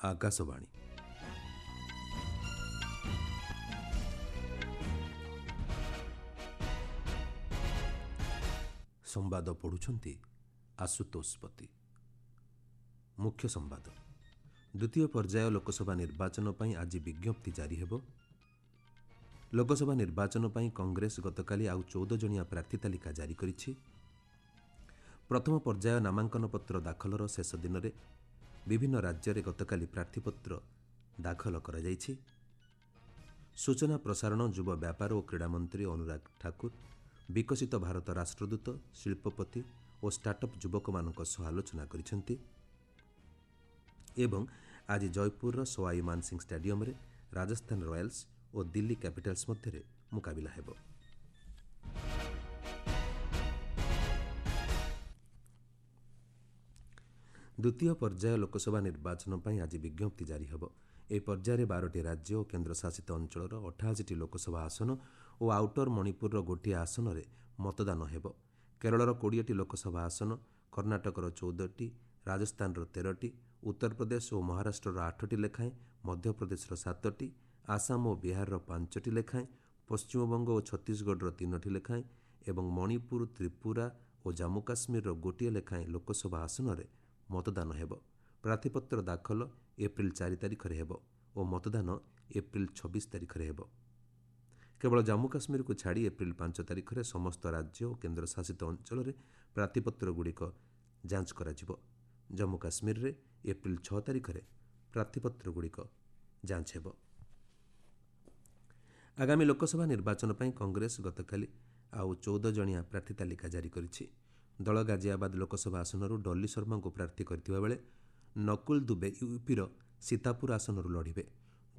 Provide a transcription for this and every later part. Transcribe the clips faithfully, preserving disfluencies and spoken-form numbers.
ଆକାଶବାଣୀ। ସମ୍ବାଦ ପଢ଼ୁଛନ୍ତି ଆଶୁତୋଷ ପତି। ମୁଖ୍ୟ ସମ୍ବାଦ। ଦ୍ୱିତୀୟ ପର୍ଯ୍ୟାୟ ଲୋକସଭା ନିର୍ବାଚନ ପାଇଁ ଆଜି ବିଜ୍ଞପ୍ତି ଜାରି ହେବ। ଲୋକସଭା ନିର୍ବାଚନ ପାଇଁ କଂଗ୍ରେସ ଗତକାଲି ଆଉ ଚଉଦ ଜଣିଆ ପ୍ରାର୍ଥୀ ତାଲିକା ଜାରି କରିଛି। ପ୍ରଥମ ପର୍ଯ୍ୟାୟ ନାମାଙ୍କନପତ୍ର ଦାଖଲର ଶେଷ ଦିନରେ ବିଭିନ୍ନ ରାଜ୍ୟରେ ଗତକାଲି ପ୍ରାର୍ଥୀପତ୍ର ଦାଖଲ କରାଯାଇଛି। ସୂଚନା ପ୍ରସାରଣ, ଯୁବ ବ୍ୟାପାର ଓ କ୍ରୀଡ଼ା ମନ୍ତ୍ରୀ ଅନୁରାଗ ଠାକୁର ବିକଶିତ ଭାରତ ରାଷ୍ଟ୍ରଦୂତ, ଶିଳ୍ପପତି ଓ ଷ୍ଟାର୍ଟଅପ୍ ଯୁବକମାନଙ୍କ ସହ ଆଲୋଚନା କରିଛନ୍ତି। ଏବଂ ଆଜି ଜୟପୁରର ସୱାଇ ମାନସିଂ ଷ୍ଟାଡିୟମରେ ରାଜସ୍ଥାନ ରୟାଲ୍ସ ଓ ଦିଲ୍ଲୀ କ୍ୟାପିଟାଲ୍ସ ମଧ୍ୟରେ ମୁକାବିଲା ହେବ। ଦ୍ୱିତୀୟ ପର୍ଯ୍ୟାୟ ଲୋକସଭା ନିର୍ବାଚନ ପାଇଁ ଆଜି ବିଜ୍ଞପ୍ତି ଜାରି ହେବ। ଏହି ପର୍ଯ୍ୟାୟରେ ବାରଟି ରାଜ୍ୟ ଓ କେନ୍ଦ୍ରଶାସିତ ଅଞ୍ଚଳର ଅଠାଅଶୀଟି ଲୋକସଭା ଆସନ ଓ ଆଉଟର ମଣିପୁରର ଗୋଟିଏ ଆସନରେ ମତଦାନ ହେବ। କେରଳର କୋଡ଼ିଏଟି ଲୋକସଭା ଆସନ, କର୍ଣ୍ଣାଟକର ଚଉଦଟି, ରାଜସ୍ଥାନର ତେରଟି, ଉତ୍ତରପ୍ରଦେଶ ଓ ମହାରାଷ୍ଟ୍ରର ଆଠଟି ଲେଖାଏଁ, ମଧ୍ୟପ୍ରଦେଶର ସାତଟି, ଆସାମ ଓ ବିହାରର ପାଞ୍ଚଟି ଲେଖାଏଁ, ପଶ୍ଚିମବଙ୍ଗ ଓ ଛତିଶଗଡ଼ର ତିନୋଟି ଲେଖାଏଁ ଏବଂ ମଣିପୁର, ତ୍ରିପୁରା ଓ ଜାମ୍ମୁ କାଶ୍ମୀରର ଗୋଟିଏ ଲେଖାଏଁ ଲୋକସଭା ଆସନରେ ମତଦାନ ହେବ। ପ୍ରାର୍ଥୀପତ୍ର ଦାଖଲ ଏପ୍ରିଲ ଚାରି ତାରିଖରେ ହେବ ଓ ମତଦାନ ଏପ୍ରିଲ ଛବିଶ ତାରିଖରେ ହେବ। କେବଳ ଜାମ୍ମୁ କାଶ୍ମୀରକୁ ଛାଡ଼ି ଏପ୍ରିଲ ପାଞ୍ଚ ତାରିଖରେ ସମସ୍ତ ରାଜ୍ୟ ଓ କେନ୍ଦ୍ରଶାସିତ ଅଞ୍ଚଳରେ ପ୍ରାର୍ଥୀପତ୍ରଗୁଡ଼ିକ ଯାଞ୍ଚ କରାଯିବ। ଜାମ୍ମୁ କାଶ୍ମୀରରେ ଏପ୍ରିଲ ଛଅ ତାରିଖରେ ପ୍ରାର୍ଥୀପତ୍ରଗୁଡ଼ିକ ଯାଞ୍ଚ ହେବ। ଆଗାମୀ ଲୋକସଭା ନିର୍ବାଚନ ପାଇଁ କଂଗ୍ରେସ ଗତକାଲି ଆଉ ଚଉଦ ଜଣିଆ ପ୍ରାର୍ଥୀ ତାଲିକା ଜାରି କରିଛି। ଦଳ ଗାଜିଆବାଦ ଲୋକସଭା ଆସନରୁ ଡଲି ଶର୍ମାଙ୍କୁ ପ୍ରାର୍ଥୀ କରିଥିବା ବେଳେ ନକୁଲ ଦୁବେ ୟୁପିର ସୀତାପୁର ଆସନରୁ ଲଢ଼ିବେ।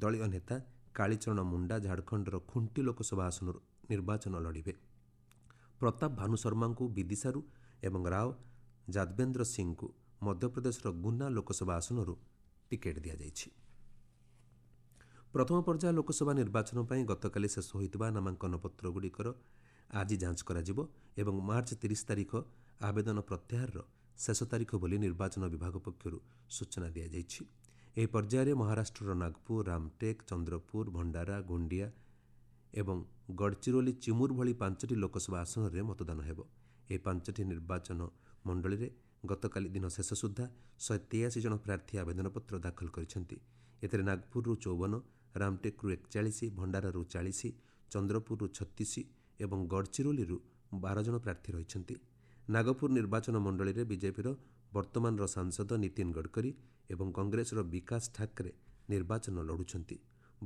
ଦଳୀୟ ନେତା କାଳିଚରଣ ମୁଣ୍ଡା ଝାଡ଼ଖଣ୍ଡର ଖୁଣ୍ଟି ଲୋକସଭା ଆସନରୁ ନିର୍ବାଚନ ଲଢ଼ିବେ। ପ୍ରତାପ ଭାନୁ ଶର୍ମାଙ୍କୁ ବିଦିଶାରୁ ଏବଂ ରାଓ ଯାଦବେନ୍ଦ୍ର ସିଂଙ୍କୁ ମଧ୍ୟପ୍ରଦେଶର ଗୁନା ଲୋକସଭା ଆସନରୁ ଟିକେଟ୍ ଦିଆଯାଇଛି। ପ୍ରଥମ ପର୍ଯ୍ୟାୟ ଲୋକସଭା ନିର୍ବାଚନ ପାଇଁ ଗତକାଲି ଶେଷ ହୋଇଥିବା ନାମାଙ୍କନପତ୍ରଗୁଡ଼ିକର ଆଜି ଯାଞ୍ଚ କରାଯିବ ଏବଂ ମାର୍ଚ୍ଚ ତିରିଶ ତାରିଖ ଆବେଦନ ପ୍ରତ୍ୟାହାରର ଶେଷ ତାରିଖ ବୋଲି ନିର୍ବାଚନ ବିଭାଗ ପକ୍ଷରୁ ସୂଚନା ଦିଆଯାଇଛି। ଏହି ପର୍ଯ୍ୟାୟରେ ମହାରାଷ୍ଟ୍ରର ନାଗପୁର, ରାମଟେକ୍, ଚନ୍ଦ୍ରପୁର, ଭଣ୍ଡାରା, ଗୋଣ୍ଡିଆ ଏବଂ ଗଡ଼ଚିରୋଲି ଚିମୁର ଭଳି ପାଞ୍ଚଟି ଲୋକସଭା ଆସନରେ ମତଦାନ ହେବ। ଏହି ପାଞ୍ଚଟି ନିର୍ବାଚନ ମଣ୍ଡଳୀରେ ଗତକାଲି ଦିନ ଶେଷ ସୁଦ୍ଧା ଶହେ ତେୟାଅଶୀ ଜଣ ପ୍ରାର୍ଥୀ ଆବେଦନପତ୍ର ଦାଖଲ କରିଛନ୍ତି। ଏଥିରେ ନାଗପୁରରୁ ଚଉବନ, ରାମଟେକ୍ରୁ ଏକଚାଳିଶ, ଭଣ୍ଡାରାରୁ ଚାଳିଶ, ଚନ୍ଦ୍ରପୁରରୁ ଛତିଶ ଏବଂ ଗଡ଼ଚିରୋଲିରୁ ବାର ଜଣ ପ୍ରାର୍ଥୀ ରହିଛନ୍ତି। ନାଗପୁର ନିର୍ବାଚନ ମଣ୍ଡଳୀରେ ବିଜେପିର ବର୍ତ୍ତମାନର ସାଂସଦ ନୀତିନ ଗଡ଼କରୀ ଏବଂ କଂଗ୍ରେସର ବିକାଶ ଠାକରେ ନିର୍ବାଚନ ଲଢ଼ୁଛନ୍ତି।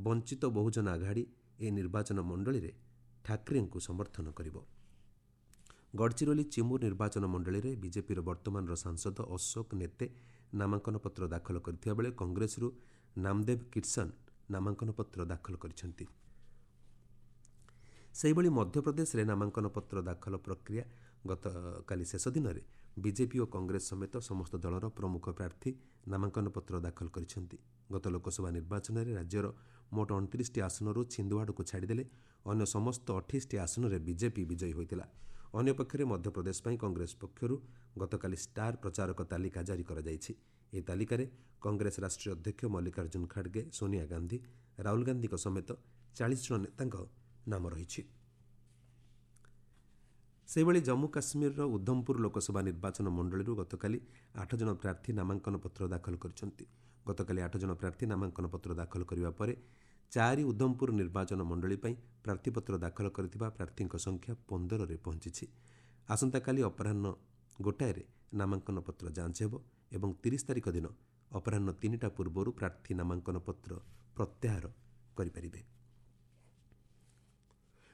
ବଞ୍ଚିତ ବହୁଜନ ଆଘାଡ଼ି ଏହି ନିର୍ବାଚନ ମଣ୍ଡଳୀରେ ଠାକରେଙ୍କୁ ସମର୍ଥନ କରିବ। ଗଡ଼ଚିରୋଲି ଚିମୁର ନିର୍ବାଚନ ମଣ୍ଡଳୀରେ ବିଜେପିର ବର୍ତ୍ତମାନର ସାଂସଦ ଅଶୋକ ନେତେ ନାମାଙ୍କନପତ୍ର ଦାଖଲ କରିଥିବା ବେଳେ କଂଗ୍ରେସରୁ ନାମଦେବ କିର୍ସନ ନାମାଙ୍କନପତ୍ର ଦାଖଲ କରିଛନ୍ତି। ସେହିଭଳି ମଧ୍ୟପ୍ରଦେଶରେ ନାମାଙ୍କନପତ୍ର ଦାଖଲ ପ୍ରକ୍ରିୟା ଗତକାଲି ଶେଷ ଦିନରେ ବିଜେପି ଓ କଂଗ୍ରେସ ସମେତ ସମସ୍ତ ଦଳର ପ୍ରମୁଖ ପ୍ରାର୍ଥୀ ନାମାଙ୍କନପତ୍ର ଦାଖଲ କରିଛନ୍ତି। ଗତ ଲୋକସଭା ନିର୍ବାଚନରେ ରାଜ୍ୟର ମୋଟ ଅଣତିରିଶଟି ଆସନରୁ ଛିନ୍ଦୱାଡ଼ାକୁ ଛାଡ଼ିଦେଲେ ଅନ୍ୟ ସମସ୍ତ ଅଠେଇଶଟି ଆସନରେ ବିଜେପି ବିଜୟୀ ହୋଇଥିଲା। ଅନ୍ୟପକ୍ଷରେ ମଧ୍ୟପ୍ରଦେଶ ପାଇଁ କଂଗ୍ରେସ ପକ୍ଷରୁ ଗତକାଲି ଷ୍ଟାର ପ୍ରଚାରକ ତାଲିକା ଜାରି କରାଯାଇଛି। ଏହି ତାଲିକାରେ କଂଗ୍ରେସ ରାଷ୍ଟ୍ରୀୟ ଅଧ୍ୟକ୍ଷ ମଲ୍ଲିକାର୍ଜୁନ ଖାଡ଼ଗେ, ସୋନିଆ ଗାନ୍ଧୀ, ରାହୁଲ ଗାନ୍ଧୀଙ୍କ ସମେତ ଚାଳିଶ ଜଣ ନେତାଙ୍କ ନାମ ରହିଛି। ସେହିଭଳି ଜମ୍ମୁ କାଶ୍ମୀରର ଉଦ୍ଧମପୁର ଲୋକସଭା ନିର୍ବାଚନ ମଣ୍ଡଳୀରୁ ଗତକାଲି ଆଠ ଜଣ ପ୍ରାର୍ଥୀ ନାମାଙ୍କନପତ୍ର ଦାଖଲ କରିଛନ୍ତି। ଗତକାଲି ଆଠ ଜଣ ପ୍ରାର୍ଥୀ ନାମାଙ୍କନପତ୍ର ଦାଖଲ କରିବା ପରେ ଚାରି ଉଦ୍ଧମପୁର ନିର୍ବାଚନ ମଣ୍ଡଳୀ ପାଇଁ ପ୍ରାର୍ଥୀପତ୍ର ଦାଖଲ କରିଥିବା ପ୍ରାର୍ଥୀଙ୍କ ସଂଖ୍ୟା ପନ୍ଦରରେ ପହଞ୍ଚିଛି। ଆସନ୍ତାକାଲି ଅପରାହ୍ନ ଗୋଟାଏରେ ନାମାଙ୍କନପତ୍ର ଯାଞ୍ଚ ହେବ ଏବଂ ତିରିଶ ତାରିଖ ଦିନ ଅପରାହ୍ନ ତିନିଟା ପୂର୍ବରୁ ପ୍ରାର୍ଥୀ ନାମାଙ୍କନପତ୍ର ପ୍ରତ୍ୟାହାର କରିପାରିବେ।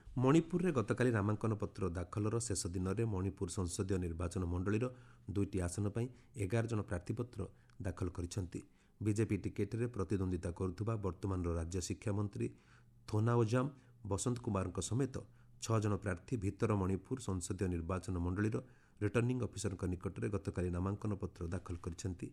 ମଣିପୁରରେ ଗତକାଲି ନାମାଙ୍କନପତ୍ର ଦାଖଲର ଶେଷ ଦିନରେ ମଣିପୁର ସଂସଦୀୟ ନିର୍ବାଚନ ମଣ୍ଡଳୀର ଦୁଇଟି ଆସନ ପାଇଁ ଏଗାର ଜଣ ପ୍ରାର୍ଥୀପତ୍ର ଦାଖଲ କରିଛନ୍ତି। ବିଜେପି ଟିକେଟ୍ରେ ପ୍ରତିଦ୍ୱନ୍ଦିତା କରୁଥିବା ବର୍ତ୍ତମାନର ରାଜ୍ୟ ଶିକ୍ଷାମନ୍ତ୍ରୀ ଥୋନାଓଜାମ ବସନ୍ତ କୁମାରଙ୍କ ସମେତ ଛଅ ଜଣ ପ୍ରାର୍ଥୀ ଭିତର ମଣିପୁର ସଂସଦୀୟ ନିର୍ବାଚନ ମଣ୍ଡଳୀର ରିଟର୍ଣ୍ଣିଂ ଅଫିସରଙ୍କ ନିକଟରେ ଗତକାଲି ନାମାଙ୍କନପତ୍ର ଦାଖଲ କରିଛନ୍ତି।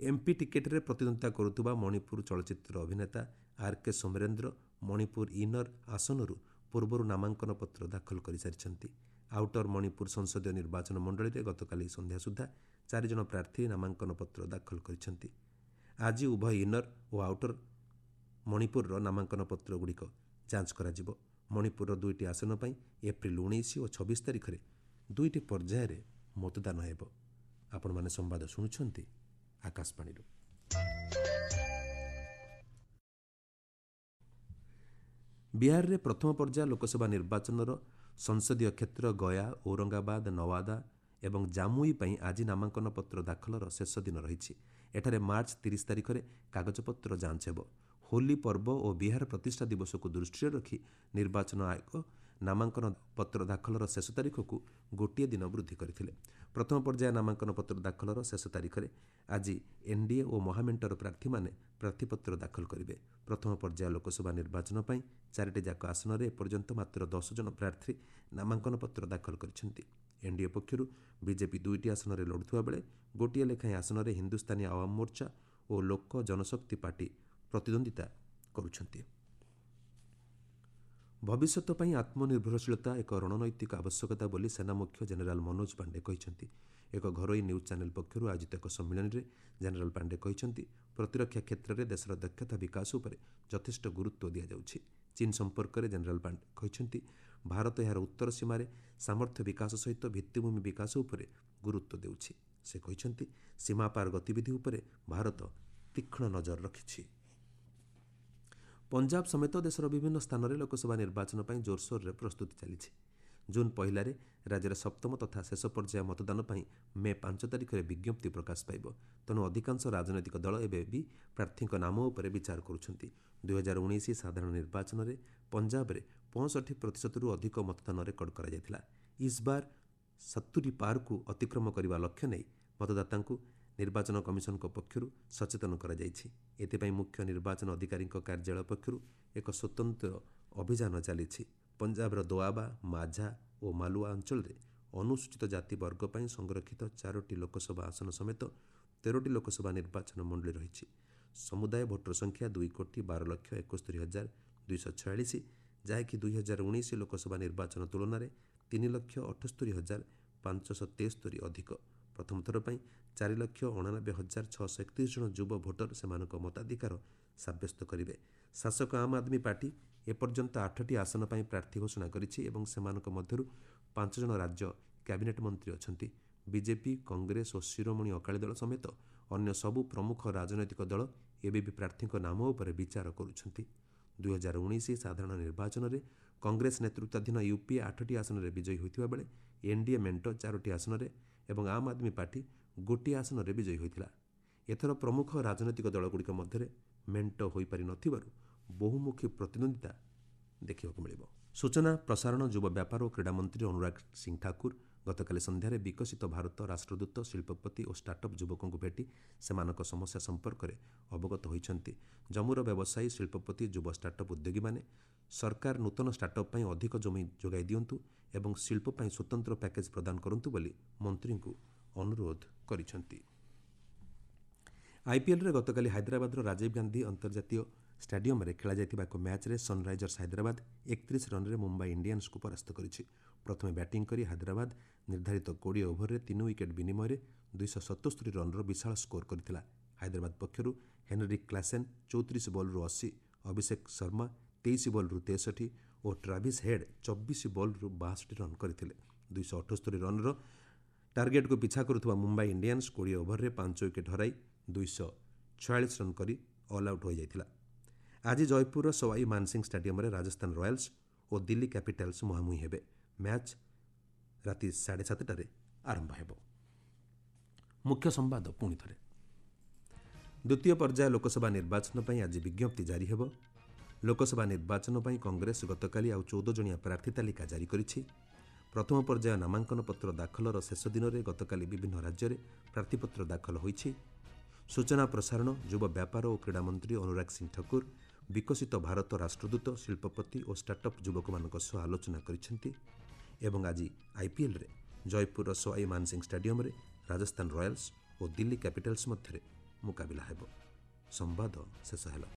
ଏମ୍ପି ଟିକେଟ୍ରେ ପ୍ରତିଦ୍ୱନ୍ଦିତା କରୁଥିବା ମଣିପୁର ଚଳଚ୍ଚିତ୍ର ଅଭିନେତା ଆର୍ କେ ସୋମରେନ୍ଦ୍ର ମଣିପୁର ଇନର ଆସନରୁ ପୂର୍ବରୁ ନାମାଙ୍କନପତ୍ର ଦାଖଲ କରିସାରିଛନ୍ତି। ଆଉଟର ମଣିପୁର ସଂସଦୀୟ ନିର୍ବାଚନ ମଣ୍ଡଳୀରେ ଗତକାଲି ସନ୍ଧ୍ୟା ସୁଦ୍ଧା ଚାରିଜଣ ପ୍ରାର୍ଥୀ ନାମାଙ୍କନପତ୍ର ଦାଖଲ କରିଛନ୍ତି। ଆଜି ଉଭୟ ଇନର ଓ ଆଉଟର ମଣିପୁରର ନାମାଙ୍କନ ପତ୍ରଗୁଡ଼ିକ ଯାଞ୍ଚ କରାଯିବ। ମଣିପୁରର ଦୁଇଟି ଆସନ ପାଇଁ ଏପ୍ରିଲ ଉଣେଇଶ ଓ ଛବିଶ ତାରିଖରେ ଦୁଇଟି ପର୍ଯ୍ୟାୟରେ ମତଦାନ ହେବ। ଆପଣମାନେ ସମ୍ବାଦ ଶୁଣୁଛନ୍ତି ଆକାଶବାଣୀରୁ। ବିହାରରେ ପ୍ରଥମ ପର୍ଯ୍ୟାୟ ଲୋକସଭା ନିର୍ବାଚନର ସଂସଦୀୟ କ୍ଷେତ୍ର ଗୟା, ଔରଙ୍ଗାବାଦ, ନୱାଦା ଏବଂ ଜାମୁଇ ପାଇଁ ଆଜି ନାମାଙ୍କନ ପତ୍ର ଦାଖଲର ଶେଷ ଦିନ ରହିଛି। ଏଠାରେ ମାର୍ଚ୍ଚ ତିରିଶ ତାରିଖରେ କାଗଜପତ୍ର ଯାଞ୍ଚ ହେବ। ହୋଲି ପର୍ବ ଓ ବିହାର ପ୍ରତିଷ୍ଠା ଦିବସକୁ ଦୃଷ୍ଟିରେ ରଖି ନିର୍ବାଚନ ଆୟୋଗ ନାମାଙ୍କନ ପତ୍ର ଦାଖଲର ଶେଷ ତାରିଖକୁ ଗୋଟିଏ ଦିନ ବୃଦ୍ଧି କରିଥିଲେ। ପ୍ରଥମ ପର୍ଯ୍ୟାୟ ନାମାଙ୍କନ ପତ୍ର ଦାଖଲର ଶେଷ ତାରିଖରେ ଆଜି ଏନ୍ଡିଏ ଓ ମହାମେଣ୍ଟର ପ୍ରାର୍ଥୀମାନେ ପ୍ରାର୍ଥୀପତ୍ର ଦାଖଲ କରିବେ। ପ୍ରଥମ ପର୍ଯ୍ୟାୟ ଲୋକସଭା ନିର୍ବାଚନ ପାଇଁ ଚାରିଟି ଯାକ ଆସନରେ ଏପର୍ଯ୍ୟନ୍ତ ମାତ୍ର ଦଶ ଜଣ ପ୍ରାର୍ଥୀ ନାମାଙ୍କନ ପତ୍ର ଦାଖଲ କରିଛନ୍ତି। ଏନ୍ଡିଏ ପକ୍ଷରୁ ବିଜେପି ଦୁଇଟି ଆସନରେ ଲଢ଼ୁଥିବା ବେଳେ ଗୋଟିଏ ଲେଖାଏଁ ଆସନରେ ହିନ୍ଦୁସ୍ତାନୀ ଆୱାମ ମୋର୍ଚ୍ଚା ଓ ଲୋକ ଜନଶକ୍ତି ପାର୍ଟି ପ୍ରତିଦ୍ୱନ୍ଦିତା କରୁଛନ୍ତି। ଭବିଷ୍ୟତ ପାଇଁ ଆତ୍ମନିର୍ଭରଶୀଳତା ଏକ ରଣନୈତିକ ଆବଶ୍ୟକତା ବୋଲି ସେନା ମୁଖ୍ୟ ଜେନେରାଲ ମନୋଜ ପାଣ୍ଡେ କହିଛନ୍ତି। ଏକ ଘରୋଇ ନ୍ୟୁଜ୍ ଚ୍ୟାନେଲ ପକ୍ଷରୁ ଆୟୋଜିତ ଏକ ସମ୍ମିଳନୀରେ ଜେନେରାଲ ପାଣ୍ଡେ କହିଛନ୍ତି, ପ୍ରତିରକ୍ଷା କ୍ଷେତ୍ରରେ ଦେଶର ଦକ୍ଷତା ବିକାଶ ଉପରେ ଯଥେଷ୍ଟ ଗୁରୁତ୍ୱ ଦିଆଯାଉଛି। ଚୀନ୍ ସମ୍ପର୍କରେ ଜେନେରାଲ ପାଣ୍ଡେ କହିଛନ୍ତି, ଭାରତ ଏହାର ଉତ୍ତର ସୀମାରେ ସାମର୍ଥ୍ୟ ବିକାଶ ସହିତ ଭିତ୍ତିଭୂମି ବିକାଶ ଉପରେ ଗୁରୁତ୍ୱ ଦେଉଛି। ସେ କହିଛନ୍ତି, ସୀମାପାର ଗତିବିଧି ଉପରେ ଭାରତ ତୀକ୍ଷ୍ଣ ନଜର ରଖିଛି। ପଞ୍ଜାବ ସମେତ ଦେଶର ବିଭିନ୍ନ ସ୍ଥାନରେ ଲୋକସଭା ନିର୍ବାଚନ ପାଇଁ ଜୋରସୋରରେ ପ୍ରସ୍ତୁତି ଚାଲିଛି। ଜୁନ୍ ପହିଲାରେ ରାଜ୍ୟରେ ସପ୍ତମ ତଥା ଶେଷ ପର୍ଯ୍ୟାୟ ମତଦାନ ପାଇଁ ମେ ପାଞ୍ଚ ତାରିଖରେ ବିଜ୍ଞପ୍ତି ପ୍ରକାଶ ପାଇବ। ତେଣୁ ଅଧିକାଂଶ ରାଜନୈତିକ ଦଳ ଏବେ ବି ପ୍ରାର୍ଥୀଙ୍କ ନାମ ଉପରେ ବିଚାର କରୁଛନ୍ତି। ଦୁଇହଜାର ଉଣେଇଶ ସାଧାରଣ ନିର୍ବାଚନରେ ପଞ୍ଜାବରେ ପଞ୍ଚଷଠି ପ୍ରତିଶତରୁ ଅଧିକ ମତଦାନ ରେକର୍ଡ କରାଯାଇଥିଲା। ଇସ୍ବାର ସତୁରି ପାରକୁ ଅତିକ୍ରମ କରିବା ଲକ୍ଷ୍ୟ ନେଇ ମତଦାତାଙ୍କୁ ନିର୍ବାଚନ କମିଶନଙ୍କ ପକ୍ଷରୁ ସଚେତନ କରାଯାଇଛି। ଏଥିପାଇଁ ମୁଖ୍ୟ ନିର୍ବାଚନ ଅଧିକାରୀଙ୍କ କାର୍ଯ୍ୟାଳୟ ପକ୍ଷରୁ ଏକ ସ୍ୱତନ୍ତ୍ର ଅଭିଯାନ ଚାଲିଛି। ପଞ୍ଜାବର ଦୋଆବା, ମାଝା ଓ ମାଲୁଆ ଅଞ୍ଚଳରେ ଅନୁସୂଚିତ ଜାତି ବର୍ଗ ପାଇଁ ସଂରକ୍ଷିତ ଚାରୋଟି ଲୋକସଭା ଆସନ ସମେତ ତେରୋଟି ଲୋକସଭା ନିର୍ବାଚନ ମଣ୍ଡଳୀ ରହିଛି। ସମୁଦାୟ ଭୋଟର ସଂଖ୍ୟା ଦୁଇ କୋଟି ବାର ଲକ୍ଷ ଏକସ୍ତରୀ ହଜାର ଦୁଇଶହ ଛୟାଳିଶ, ଯାହାକି ଦୁଇହଜାର ଉଣେଇଶ ଲୋକସଭା ନିର୍ବାଚନ ତୁଳନାରେ ତିନି ଲକ୍ଷ ଅଠସ୍ତରୀ ହଜାର ପାଞ୍ଚଶହ ତେସ୍ତରୀ ଅଧିକ। ପ୍ରଥମ ଥର ପାଇଁ ଚାରି ଲକ୍ଷ ଅଣାନବେ ହଜାର ଛଅଶହ ଏକତିରିଶ ଜଣ ଯୁବ ଭୋଟର ସେମାନଙ୍କ ମତାଧିକାର ସାବ୍ୟସ୍ତ କରିବେ। ଶାସକ ଆମ୍ ଆଦମୀ ପାର୍ଟି ଏପର୍ଯ୍ୟନ୍ତ ଆଠଟି ଆସନ ପାଇଁ ପ୍ରାର୍ଥୀ ଘୋଷଣା କରିଛି ଏବଂ ସେମାନଙ୍କ ମଧ୍ୟରୁ ପାଞ୍ଚ ଜଣ ରାଜ୍ୟ କ୍ୟାବିନେଟ୍ ମନ୍ତ୍ରୀ ଅଛନ୍ତି। ବିଜେପି, କଂଗ୍ରେସ ଓ ଶିରୋମଣି ଅକାଳୀ ଦଳ ସମେତ ଅନ୍ୟ ସବୁ ପ୍ରମୁଖ ରାଜନୈତିକ ଦଳ ଏବେ ବି ପ୍ରାର୍ଥୀଙ୍କ ନାମ ଉପରେ ବିଚାର କରୁଛନ୍ତି। ଦୁଇହଜାର ଉଣେଇଶ ସାଧାରଣ ନିର୍ବାଚନରେ କଂଗ୍ରେସ ନେତୃତ୍ୱାଧୀନ ୟୁପିଏ ଆଠଟି ଆସନରେ ବିଜୟୀ ହୋଇଥିବା ବେଳେ ଏନ୍ଡିଏ ମେଣ୍ଟ ଚାରୋଟି ଆସନରେ ଏବଂ ଆମ୍ ଆଦମୀ ପାର୍ଟି ଗୋଟିଏ ଆସନରେ ବିଜୟୀ ହୋଇଥିଲା। ଏଥର ପ୍ରମୁଖ ରାଜନୈତିକ ଦଳଗୁଡ଼ିକ ମଧ୍ୟରେ ମେଣ୍ଟ ହୋଇପାରି ନଥିବାରୁ ବହୁମୁଖୀ ପ୍ରତିଦ୍ୱନ୍ଦିତା ଦେଖିବାକୁ ମିଳିବ। ସୂଚନା, ପ୍ରସାରଣ, ଯୁବ ବ୍ୟାପାର ଓ କ୍ରୀଡ଼ା ମନ୍ତ୍ରୀ ଅନୁରାଗ ସିଂ ଠାକୁର ଗତକାଲି ସନ୍ଧ୍ୟାରେ ବିକଶିତ ଭାରତ ରାଷ୍ଟ୍ରଦୂତ, ଶିଳ୍ପପତି ଓ ଷ୍ଟାର୍ଟଅପ୍ ଯୁବକଙ୍କୁ ଭେଟି ସେମାନଙ୍କ ସମସ୍ୟା ସମ୍ପର୍କରେ ଅବଗତ ହୋଇଛନ୍ତି। ଜମ୍ମୁର ବ୍ୟବସାୟୀ, ଶିଳ୍ପପତି, ଯୁବ ଷ୍ଟାର୍ଟଅପ୍ ଉଦ୍ୟୋଗୀମାନେ ସରକାର ନୂତନ ଷ୍ଟାର୍ଟଅପ୍ ପାଇଁ ଅଧିକ ଜମି ଯୋଗାଇ ଦିଅନ୍ତୁ ଏବଂ ଶିଳ୍ପ ପାଇଁ ସ୍ୱତନ୍ତ୍ର ପ୍ୟାକେଜ୍ ପ୍ରଦାନ କରନ୍ତୁ ବୋଲି ମନ୍ତ୍ରୀଙ୍କୁ ଅନୁରୋଧ କରିଛନ୍ତି। ଆଇପିଏଲ୍ରେ ଗତକାଲି ହାଇଦ୍ରାବାଦର ରାଜୀବ ଗାନ୍ଧୀ ଅନ୍ତର୍ଜାତୀୟ ଷ୍ଟାଡିୟମରେ ଖେଳାଯାଇଥିବା ଏକ ମ୍ୟାଚ୍ରେ ସନ୍ରାଇଜର୍ସ ହାଇଦ୍ରାବାଦ ଏକତିରିଶ ରନ୍ରେ ମୁମ୍ବାଇ ଇଣ୍ଡିଆନ୍ସକୁ ପରାସ୍ତ କରିଛି। ପ୍ରଥମେ ବ୍ୟାଟିଂ କରି ହାଇଦ୍ରାବାଦ ନିର୍ଦ୍ଧାରିତ କୋଡ଼ିଏ ଓଭରରେ ତିନି ୱିକେଟ୍ ବିନିମୟରେ ଦୁଇଶହ ସତସ୍ତରୀ ରନ୍ର ବିଶାଳ ସ୍କୋର କରିଥିଲା। ହାଇଦ୍ରାବାଦ ପକ୍ଷରୁ ହେନରି କ୍ଲାସେନ୍ ଚଉତିରିଶ ବଲ୍ରୁ ଅଶୀ, ଅଭିଷେକ ଶର୍ମା ତେଇଶ ବଲ୍ରୁ ତେଷଠି ଓ ଟ୍ରାଭିସ୍ ହେଡ୍ ଚବିଶ ବଲ୍ରୁ ବାଷଠି ରନ୍ କରିଥିଲେ। ଦୁଇଶହ ଅଠସ୍ତରୀ ରନ୍ର ଟାର୍ଗେଟ୍କୁ ପିଛା କରୁଥିବା ମୁମ୍ବାଇ ଇଣ୍ଡିଆନ୍ସ କୋଡ଼ିଏ ଓଭରରେ ପାଞ୍ଚ ୱିକେଟ୍ ହରାଇ ଦୁଇଶହ ଛୟାଳିଶ ରନ୍ କରି ଅଲ୍ ଆଉଟ୍ ହୋଇଯାଇଥିଲା। ଆଜି ଜୟପୁରର ସୱାଇ ମାନସିଂ ଷ୍ଟାଡିୟମରେ ରାଜସ୍ଥାନ ରୟାଲ୍ସ ଓ ଦିଲ୍ଲୀ କ୍ୟାପିଟାଲ୍ସ ମୁହାଁମୁହିଁ ହେବେ। ମ୍ୟାଚ୍ ରାତି ସାଢ଼େ ସାତଟାରେ ଆରମ୍ଭ ହେବ। ମୁଖ୍ୟ ସମ୍ବାଦ ପୁଣି ଥରେ। ଦ୍ୱିତୀୟ ପର୍ଯ୍ୟାୟ ଲୋକସଭା ନିର୍ବାଚନ ପାଇଁ ଆଜି ବିଜ୍ଞପ୍ତି ଜାରି ହେବ। ଲୋକସଭା ନିର୍ବାଚନ ପାଇଁ କଂଗ୍ରେସ ଗତକାଲି ଆଉ ଚଉଦ ଜଣିଆ ପ୍ରାର୍ଥୀ ତାଲିକା ଜାରି କରିଛି। ପ୍ରଥମ ପର୍ଯ୍ୟାୟ ନାମାଙ୍କନ ପତ୍ର ଦାଖଲର ଶେଷ ଦିନରେ ଗତକାଲି ବିଭିନ୍ନ ରାଜ୍ୟରେ ପ୍ରାର୍ଥୀପତ୍ର ଦାଖଲ ହୋଇଛି। ସୂଚନା, ପ୍ରସାରଣ, ଯୁବ ବ୍ୟାପାର ଓ କ୍ରୀଡ଼ା ମନ୍ତ୍ରୀ ଅନୁରାଗ ସିଂ ଠାକୁର ବିକଶିତ ଭାରତ ରାଷ୍ଟ୍ରଦୂତ, ଶିଳ୍ପପତି ଓ ଷ୍ଟାର୍ଟଅପ୍ ଯୁବକମାନଙ୍କ ସହ ଆଲୋଚନା କରିଛନ୍ତି। ଏବଂ ଆଜି ଆଇପିଏଲ୍ରେ ଜୟପୁରର ସୱାଇ ମାନସିଂ ଷ୍ଟାଡିୟମରେ ରାଜସ୍ଥାନ ରୟାଲ୍ସ ଓ ଦିଲ୍ଲୀ କ୍ୟାପିଟାଲ୍ସ ମଧ୍ୟରେ ମୁକାବିଲା ହେବ। ସମ୍ବାଦ ଶେଷ ହେଲା।